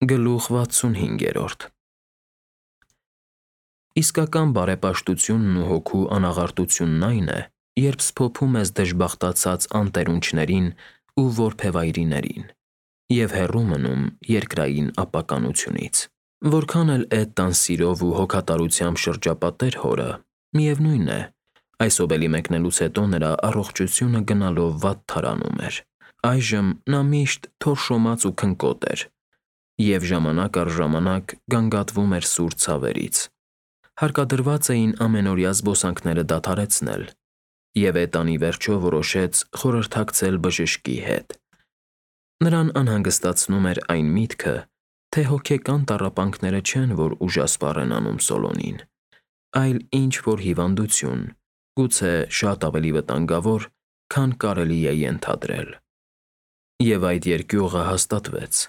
Գլուխ 65-րդ Իսկական բարեպաշտությունն ու հոգու անաղարտությունն այն է, երբ սփոփում ես դժբախտացած անտերունչներին ու որբևայրիներին և հեռու մնում երկրային ապականությունից։ Որքան էլ էդ տան սիրով ու հոգատարությամբ շրջապատեր հորը, միևնույն է, այս ովելի մեկնելուց հետո նրա առողջությունը գնալով վատթարանում էր։ Այժմ նա միշտ թորշոմած ու քնկոտ էր և ժամանակ առ ժամանակ գանգատվում էր սուր ցավերից։ Հարկադրված էին ամենօրյա զբոսանքները դադարեցնել, և Էտան ի վերջո որոշեց խորհրդակցել բժշկի հետ։ Նրան անհանգստացնում էր այն միտքը, թե հոգեկան տառապանքները չեն, որ ուժասպառ են անում Սոլոնին, այլ ինչ-որ հիվանդություն, գուցե շատ ավելի վտանգավոր, քան կարելի է ենթադրել։ Եվ այդ երկյուղը հաստատվեց։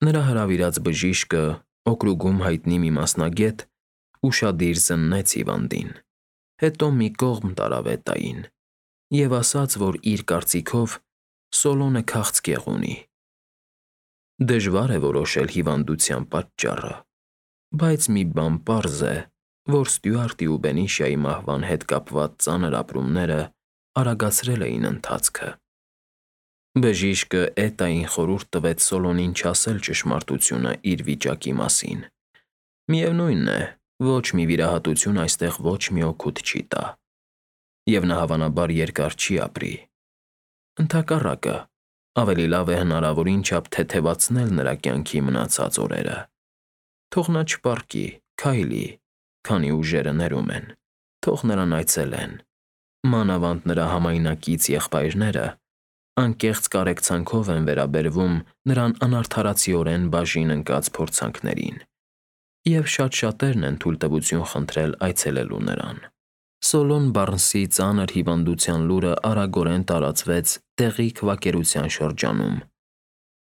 Նրա հրավիրած բժիշկը, օկրուգում հայտնի մի մասնագետ, ուշադիր զննեց հիվանդին, հետո մի կողմ տարավ Էտային և ասաց, որ իր կարծիքով Սոլոնը քաղցկեղ ունի։ Դժվար է որոշել հիվանդության պատճառը, բայց մի բան պարզ է, որ Ստյուարտի ու Բենիշիայի մահվան հետ կապված ծանր ապրումները արագացրել էին ընթացքը։ Բժիշկը Էտային խորհուրդ տվեց Սոլոնին չասել ճշմարտությունը իր վիճակի մասին։ Միևնույն է, ոչ մի վիրահատություն այստեղ ոչ մի օգուտ չի տա, և նա հավանաբար երկար չի ապրի։ Ընդհակառակը, ավելի լավ է հնարավորին չափ թեթևացնել նրա կյանքի մնացած օրերը։ Թող նա չպառկի, քայլի, քանի ուժերը ներում են, թող նրան այցելեն, մանավանդ նրա համայնակից եղբայրները անկեղծ կարեկցանքով են վերաբերվում նրան անարդարացիորեն բաժին ընկած փորձանքներին, և շատ-շատերն են թույլտվություն խնդրել այցելելու նրան։ Սոլոն Բարնսի ծանր հիվանդության լուրը արագորեն տարածվեց տեղի քվակերության շրջանում,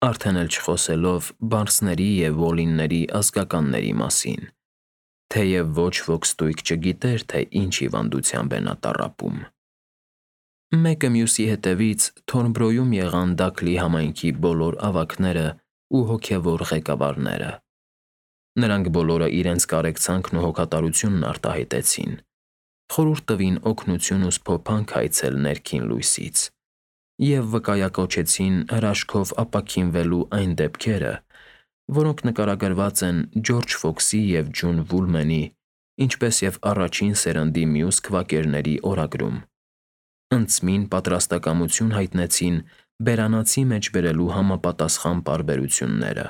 արդեն էլ չխոսելով Բարնսների և Ուոլինների ազգականների մասին, թեև ոչ ոք ստույգ չգիտեր, թե ինչ հիվանդությամբ է նա տառապում։ Մեկը մյուսի հետևից Թորնբրոյում եղան Դաքլի համայնքի բոլոր ավագները ու հոգևոր ղեկավարները։ Նրանք բոլորը իրենց կարեկցանքն ու հոգատարությունն արտահայտեցին, խորհուրդ տվին օգնություն ու սփոփանք այցել ներքին լույսից և վկայակոչեցին հրաշքով ապաքինվելու այն դեպքերը, որոնք նկարագրված են Ջորջ Ֆոքսի և Ջուն Վուլմենի, ինչպես և առաջին սերնդի մյուս քվակերների օրագրում։ Ընծմին պատրաստակամություն հայտնեցին բերանացի մեջ բերելու համապատասխան պարբերությունները։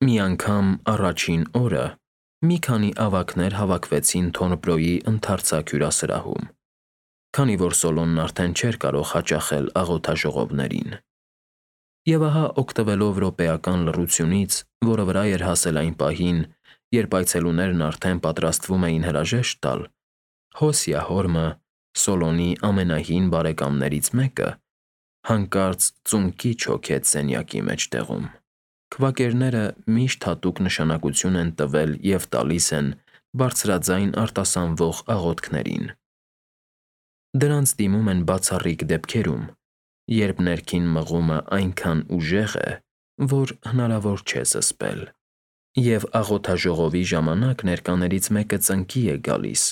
Մի անգամ առաջին օրը մի քանի ավագներ հավաքվեցին Թորնբրոյի ընդարձակ հյուրասրահում, քանի որ Սոլոնն արդեն չէր կարող հաճախել աղոթաժողովներին։ Եվ ահա օգտվելով րոպեական լռությունից, որը վրա էր հասել այն պահին, երբ այցելուներն արդեն պատրաստվում էին հրաժեշտ տալ, Հոսիա հորմը, Սոլոնի ամենահին բարեկամներից մեկը, հանկարծ ծունկի չոքեց սենյակի մեջտեղում։ Քվակերները միշտ հատուկ նշանակություն են տվել և տալիս են բարձրաձայն արտասանվող աղոթքներին։ Դրանց դիմում են բացառիկ դեպքերում, երբ ներքին մղումը այնքան ուժեղ է, որ հնարավոր չէ զսպել, և աղոթաժողովի ժամանակ ներկաներից մեկը ծնկի է գալիս,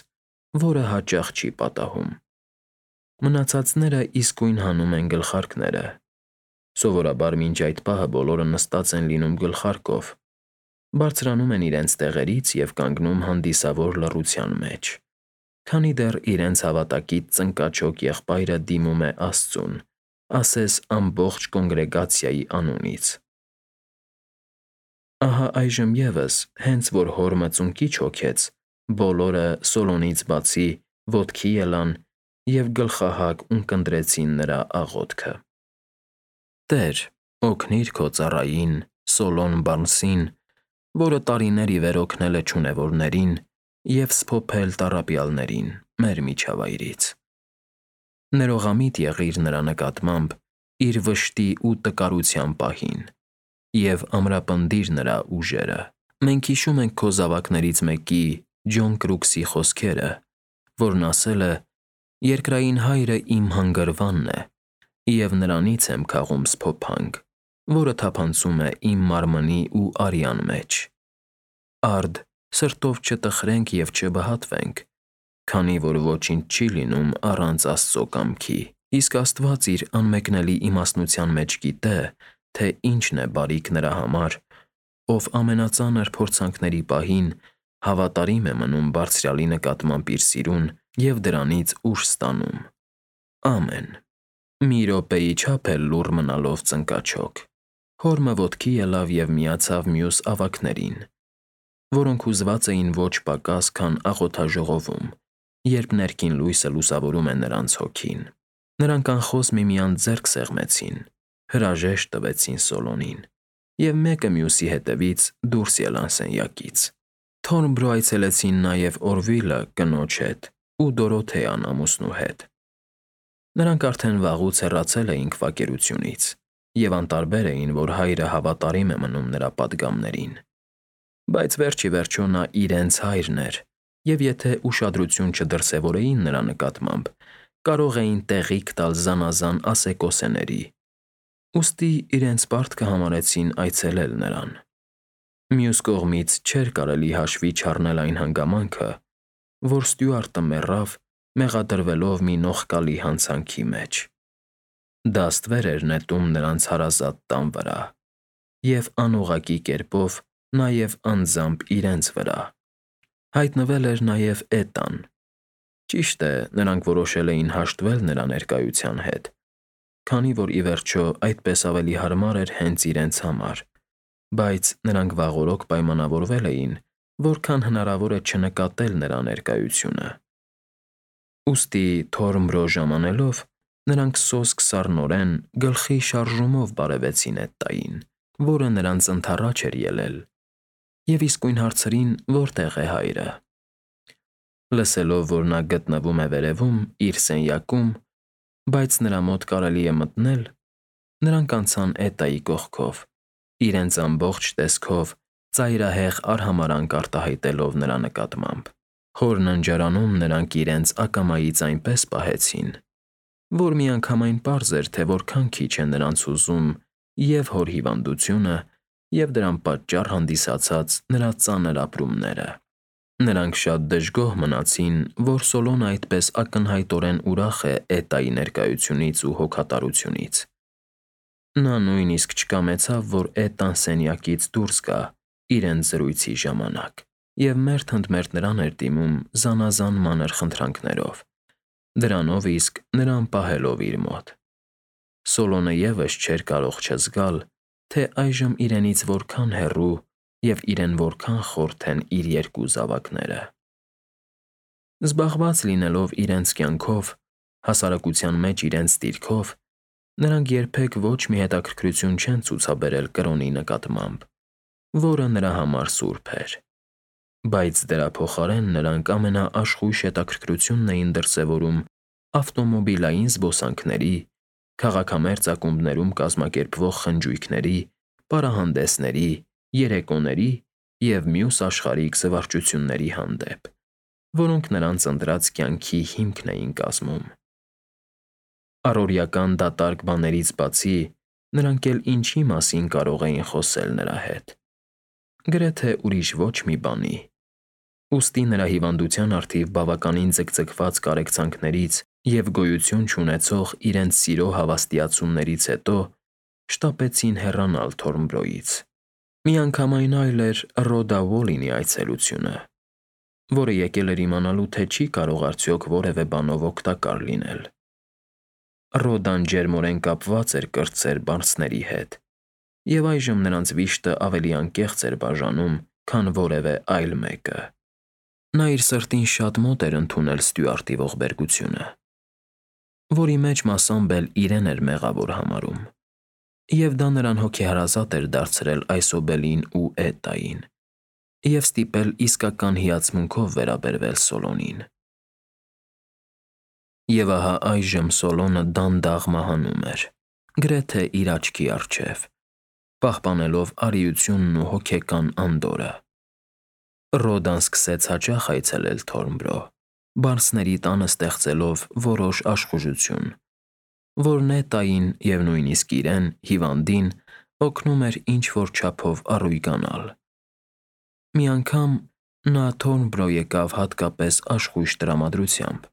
որը հաճախ չի պատահում։ Մնացածները իսկույն հանում են գլխարկները։ Սովորաբար մինչ այդ պահը բոլորը նստած են լինում գլխարկով, բարձրանում են իրենց տեղերից և կանգնում հանդիսավոր լռության մեջ, քանի դեռ իրենց հավատակից ծնկաչոք եղբայրը դիմում է Աստծուն, ասես ամբողջ կոնգրեգացիայի անունից։ Ահա այժմ ևս, հենց որ հորմը ծունկի չոքեց, բոլորը, Սոլոնից բացի, ոտքի ելան և գլխահակ ունկնդրեցին նրա աղոթքը. «Տե՛ր, օգնիր քո ծառային՝ Սոլոն Բարնսին, որը տարիներ ի վեր օգնել է չունևորներին և սփոփել տառապյալներին մեր միջավայրից։ Ներողամիտ եղիր նրա նկատմամբ իր վշտի ու տկարության պահին և ամրապնդիր նրա ուժերը։ Մենք հիշում ենք քո զավակներից մեկի՝ Ջոն Կրուքսի խոսքերը, որն ասել է. «Երկրային Հայրը իմ հանգրվանն է, և նրանից եմ քաղում սփոփանք, որը թափանցում է իմ մարմնի ու արյան մեջ։ Արդ, սրտով չտխրենք և չբհատվենք, քանի որ ոչինչ չի լինում առանց Աստծո կամքի։ Իսկ Աստված իր անմեկնելի իմաստնության մեջ գիտե, թե ինչն է բարիք նրա համար, ով ամենածանր փորձանքների պահին հավատարիմ է մնում Բարձրյալի նկատմամբ իր սիրուն և դրանից ուժ ստանում։ Ամեն։ Մի րոպեի չափ էլ լուռ մնալով ծնկաչոք, հորմը ոտքի ելավ և միացավ մյուս ավագներին, որոնք հուզված էին ոչ պակաս, քան աղոթաժողովում, երբ ներքին լույսը լուսավորում է նրանց հոգին։ Նրանք անխոս միմյանց ձեռք սեղմեցին, հրաժեշտ տվեցին Սոլոնին և մեկը մյուսի հետևից դուրս ելան սենյակից։ Թորնբրո այցելեցին նաև Օրվիլը կնոջ հետ ու Դորոթեան ամուսնու հետ։ Նրանք արդեն վաղուց հեռացել էին քվակերությունից և անտարբեր էին, որ հայրը հավատարիմ է մնում նրա պատգամներին։ Բայց վերջ ի վերջո նա իրենց հայրն էր, և եթե ուշադրություն չդրսևորեին նրա նկատմամբ, կարող էին տեղիք տալ զանազան ասեկոսեների։ Ուստի իրենց պարտքը համարեցին այցելել նրան։ Մյուս կողմից չէր կարելի հաշվի չառնել այն հանգամանքը, որ Ստյուարտը մեռավ՝ մեղադրվելով մի նողկալի հանցանքի մեջ։ Դա ստվեր էր նետում նրանց հարազատ տան վրա և անուղղակի կերպով նաև անձամբ իրենց վրա։ Հայտնվել էր նաև Էտան։ Ճիշտ է, նրանք որոշել էին հաշտվել նրա ներկայության հետ, քանի որ ի վերջո այդպես ավելի հարմար էր հենց իրենց համար, բայց նրանք վաղօրոք պայմանավորվել էին, որքան հնարավոր է չնկատել նրա ներկայությունը։ Ուստի Թորնբրո ժամանելով, նրանք սոսկ սառնորեն գլխի շարժումով բարևեցին Էտտային, որը նրանց ընդառաջ էր ելել, և իսկույն հարցրին, որտեղ է հայրը։ Լսելով, որ նա գտնվում է վերևում, իր սենյակում, բայց նրա մոտ կարելի է մտնել, նրանք անցան Էտայի կողքով, իրենց ամբողջ տեսքով ծայրահեղ արհամարհանք արտահայտելով նրա նկատմամբ։ Հոր ննջարանում նրանք իրենց ակամայից այնպես պահեցին, որ միանգամայն պարզ էր, թե որքան քիչ է նրանց հուզում և հոր հիվանդությունը, և դրան պատճառ հանդիսացած նրա ծանր ապրումները։ Նրանք շատ դժգոհ մնացին, որ Սոլոնը այդպես ակնհայտորեն ուրախ է Էտայի ներկայությունից ու հոգատարությունից։ Նա նույնիսկ չկամեցավ, որ Էտան սենյակից դուրս գա իրենց զրույցի ժամանակ և մերթ ընդ մերթ նրան էր դիմում զանազան մանր խնդրանքներով, դրանով իսկ նրան պահելով իր մոտ։ Սոլոնը ևս չէր կարող չզգալ, թե այժմ իրենից որքան հեռու և իրեն որքան խորթ են իր երկու զավակները։ Զբաղված լինելով իրենց կյանքով, հասարակության մեջ իրենց դիրքով, նրանք երբեք ոչ մի հետաքրքրություն չեն ցուցաբերել կրոնի նկատմամբ, որը նրա համար սուրբ էր։ Բայց դրա փոխարեն նրանք ամենաաշխույժ հետաքրքրությունն էին դրսևորում ավտոմոբիլային զբոսանքների, քաղաքամերձ ակումբներում կազմակերպվող խնջույքների, պարահանդեսների, երեկոների և մյուս աշխարհիկ զվարճությունների հանդեպ, որոնք նրանց ընտրած կյանքի հիմքն էին կազմում։ Առօրեական դատարկ բաներից բացի, նրանք էլ ինչի մասին կարող էին խոսել նրա հետ։ Գրեթե ուրիշ ոչ մի բանի։ Ուստի նրա հիվանդության առթիվ բավականին ձգձգված կարեկցանքներից և գոյություն չունեցող իրենց սիրո հավաստիացումներից հետո շտապեցին հեռանալ Թորնբրոյից։ Միանգամայն այլ էր Ռոդա Ուոլինի այցելությունը, որը եկել էր իմանալու, թե չի կարող արդյոք որևէ բանով օգտակար լինել։ Ռոդան ջերմորեն կապված էր կրտսեր բարձների հետ, և այժմ նրանց վիշտը ավելի անկեղծ էր բաժանում, քան որևէ այլ մեկը։ Նա իր սրտին շատ մոտ էր ընդունել Ստյուարտի ողբերգությունը, որի մեջ մասամբ էլ իրեն էր մեղավոր համարում, և դա նրան հոգեհարազատ էր դարձրել այսօբելին ու Էտային, և ստիպել իսկական հիացմունքով վերաբերվել Սոլոնին։ Եվ ահա այժմ Սոլոնը դանդաղ մահանում էր, գրեթե իր աչքի առջև, պահպանելով արիությունն ու հոգեկան անդորրը։ Ռոդան սկսեց հաճախ այցելել Թորնբրո, բարձների տանը ստեղծելով որոշ աշխուժություն, որ Էտային և նույնիսկ իրեն՝ հիվանդին, օգնում էր ինչ-որ չափով առույգանալ։ Մի անգամ նա Թորնբրո եկավ հատկապես աշխույժ տրամադրությամբ։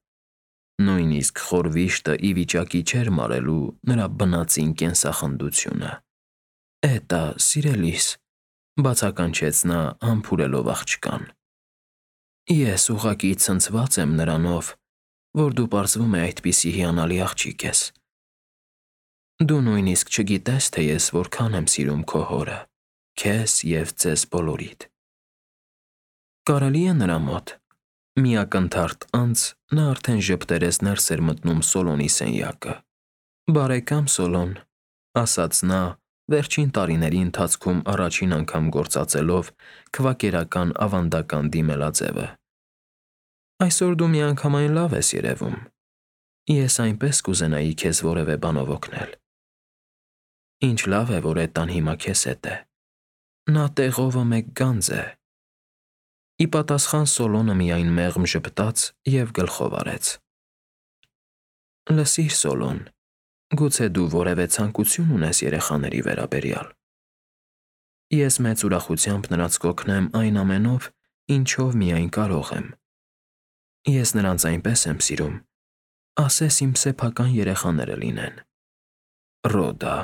Նույնիսկ խոր վիշտը ի վիճակի չէր մարելու նրա բնածին կենսախնդությունը։ «Էտա, սիրելիս», բացականչեց նա համբուրելով աղջկան։ «Ես ուղղակի ցնցված եմ նրանով, որ դու պարզվում է այդպիսի հիանալի աղջիկ ես։ Դու նույնիսկ չգիտես, թե ես որքան եմ սիրում քո հորը, քեզ և ձեզ բոլորիդ»։ Կարելի է նրա մոտ։ Մի ակնթարթ անց նա արդեն ժպտերես ներս էր մտնում Սոլոնի սենյակը։ «Բարեկամ Սոլոն», ասաց նա, վերջին տարիների ընթացքում առաջին անգամ գործածելով քվակերական ավանդական դիմելաձևը։ «Այսօր դու միանգամայն լավ ես երևում։ Ես այնպես կուզենայի քեզ որևէ բանով օգնել»։ «Ինչ լավ է, որ Էտան հիմա քեզ հետ է։ Նա տեղովը մեկ գանձ է»։ Ի պատասխան Սոլոնը միայն մեղմ ժպտաց և գլխով արեց։ «Լսիր, Սոլոն, գուցե դու որևէ ցանկություն ունես երեխաների վերաբերյալ։ Ես մեծ ուրախությամբ նրանց կօգնեմ այն ամենով, ինչով միայն կարող եմ։ Ես նրանց այնպես եմ սիրում, ասես իմ սեփական երեխաները լինեն։ Ռոդա,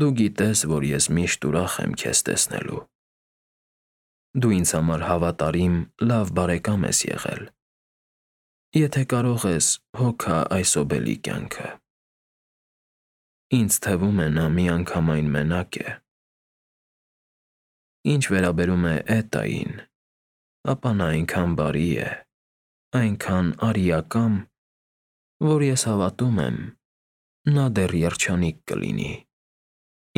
դու գիտես, որ ես միշտ ուրախ եմ քեզ տեսնելու։ Դու ինձ համար հավատարիմ, լավ բարեկամ ես եղել։ Եթե կարող ես, հոգա այս ոբելի կյանքը։ Ինձ թվում է նա միանգամայն մենակ է։ Ինչ վերաբերում է Էտային, ապա նա այնքան բարի է, այնքան արիակամ, որ ես հավատում եմ, նա դեռ երջանիկ կլինի։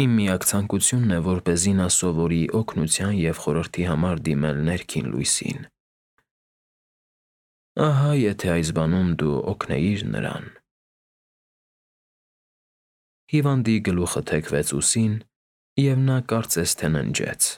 Իմ միակ ցանկությունն է, որպեսզի նա սովորի օգնության և խորհրդի համար դիմել ներքին լույսին։ Ահա եթե այս բանում դու օգնեիր նրան։ Հիվանդի գլուխը թեքվեց ուսին, և նա կարծես թե ննջեց։